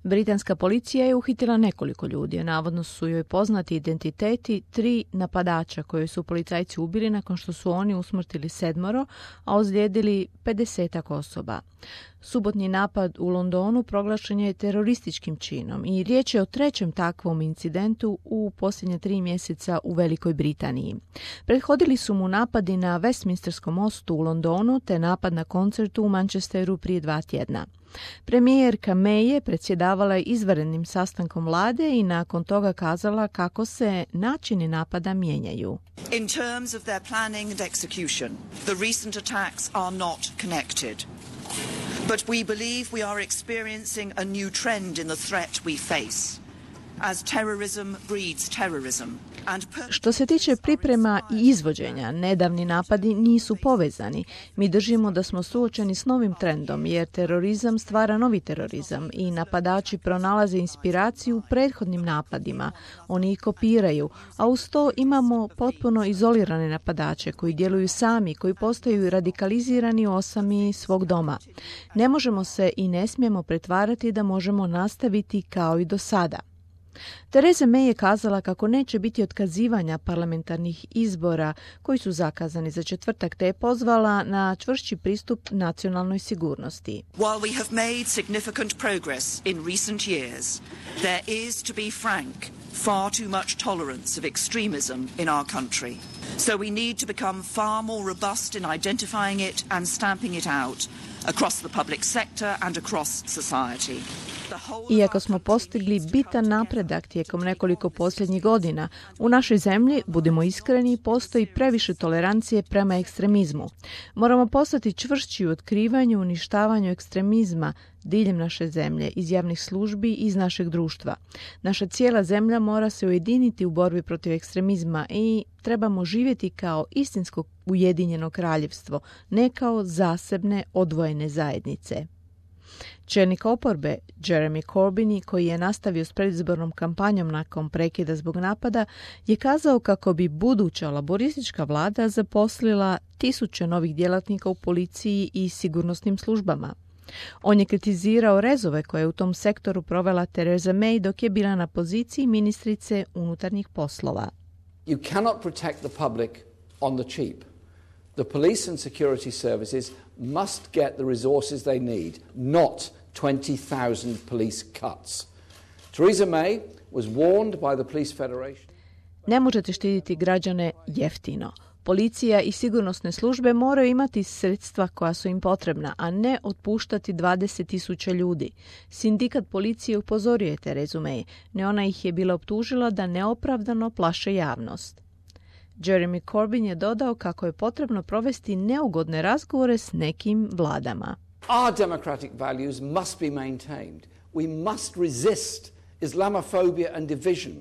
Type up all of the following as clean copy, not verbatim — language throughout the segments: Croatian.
Britanska policija je uhitila nekoliko ljudi, a navodno su joj poznati identiteti 3 napadača koje su policajci ubili nakon što su oni usmrtili 7, a ozlijedili 50 osoba. Subotnji napad u Londonu proglašen je terorističkim činom i riječ je o 3. takvom incidentu u posljednje 3 mjeseca u Velikoj Britaniji. Prethodili su mu napadi na Westminsterskom mostu u Londonu te napad na koncertu u Manchesteru prije 2 tjedna. Premijerka May je predsjedavala izvanrednim sastankom vlade i nakon toga kazala kako se načini napada mijenjaju. In terms of their planning and execution, the recent attacks are not connected. But we believe we are experiencing a new trend in the threat we face. As terrorism breeds terrorism. Što se tiče priprema i izvođenja, nedavni napadi nisu povezani. Mi držimo da smo suočeni s novim trendom, jer terorizam stvara novi terorizam i napadači pronalaze inspiraciju u prethodnim napadima. Oni ih kopiraju, a uz to imamo potpuno izolirane napadače koji djeluju sami, koji postaju radikalizirani osami svog doma. Ne možemo se i ne smijemo pretvarati da možemo nastaviti kao i do sada. Theresa May je kazala kako neće biti otkazivanja parlamentarnih izbora koji su zakazani za četvrtak, te je pozvala na čvršći pristup nacionalnoj sigurnosti. While we have made significant progress in recent years, there is, to be frank, far too much tolerance of extremism in our country. So we need to become far more robust in identifying it and stamping it out across the public sector and across society. Iako smo postigli bitan napredak tijekom nekoliko posljednjih godina, u našoj zemlji, budimo iskreni, postoji previše tolerancije prema ekstremizmu. Moramo postati čvršći u otkrivanju i uništavanju ekstremizma diljem naše zemlje, iz javnih službi i iz našeg društva. Naša cijela zemlja mora se ujediniti u borbi protiv ekstremizma i trebamo živjeti kao istinsko ujedinjeno kraljevstvo, ne kao zasebne odvojene zajednice. Čelnik oporbe Jeremy Corbyn, koji je nastavio s predizbornom kampanjom nakon prekida zbog napada, je kazao kako bi buduća laboristička vlada zaposlila 1000 novih djelatnika u policiji i sigurnosnim službama. On je kritizirao rezove koje je u tom sektoru provela Theresa May dok je bila na poziciji ministrice unutarnjih poslova. You cannot protect the public on the cheap. The police and security services must get the resources they need, not 20,000 police cuts. Theresa May was warned by the Police Federation. Ne možete štititi građane jeftino. Policija i sigurnosne službe moraju imati sredstva koja su im potrebna, a ne otpuštati 20.000 ljudi. Sindikat policije upozorio je Theresu May, ne ona ih je bila optužila da neopravdano plaše javnost. Jeremy Corbyn je dodao kako je potrebno provesti neugodne razgovore s nekim vladama. Our democratic values must be maintained. We must resist Islamophobia and division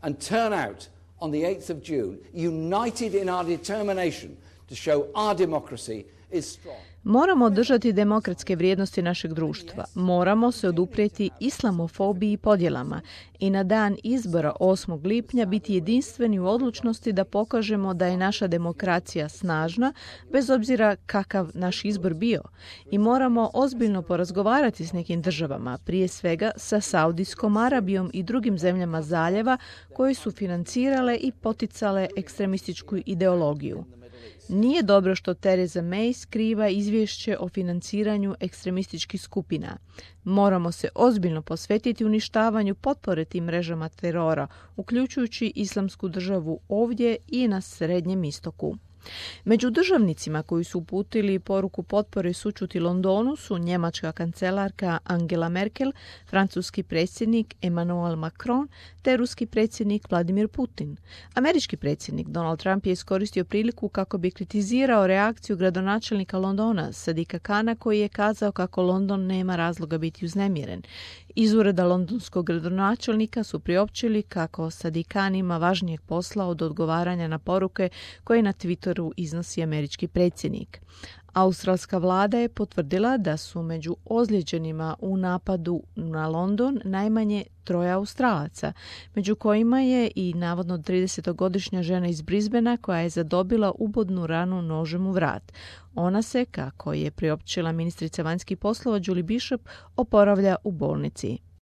and turn out on the 8th of June, united in our determination to show our democracy is strong. Moramo održati demokratske vrijednosti našeg društva. Moramo se oduprijeti islamofobiji i podjelama i na dan izbora 8. lipnja biti jedinstveni u odlučnosti da pokažemo da je naša demokracija snažna, bez obzira kakav naš izbor bio. I moramo ozbiljno porazgovarati s nekim državama, prije svega sa Saudijskom Arabijom i drugim zemljama zaljeva koje su financirale i poticale ekstremističku ideologiju. Nije dobro što Theresa May skriva izvješće o financiranju ekstremističkih skupina. Moramo se ozbiljno posvetiti uništavanju potpore tim mrežama terora, uključujući Islamsku državu ovdje i na Srednjem istoku. Među državnicima koji su uputili poruku potpore i sućuti Londonu su njemačka kancelarka Angela Merkel, francuski predsjednik Emmanuel Macron te ruski predsjednik Vladimir Putin. Američki predsjednik Donald Trump je iskoristio priliku kako bi kritizirao reakciju gradonačelnika Londona, Sadika Kana, koji je kazao kako London nema razloga biti uznemiren. Iz ureda londonskog gradonačelnika su priopćili kako Sadiq Khan ima važnijeg posla od odgovaranja na poruke koje na Twitteru iznosi američki predsjednik. Australska vlada je potvrdila da su među ozlijeđenima u napadu na London najmanje 3 Australaca, među kojima je i navodno 30-godišnja žena iz Brisbanea koja je zadobila ubodnu ranu nožem u vrat. Ona se, kako je priopćila ministrica vanjskih poslova Julie Bishop, oporavlja u bolnici.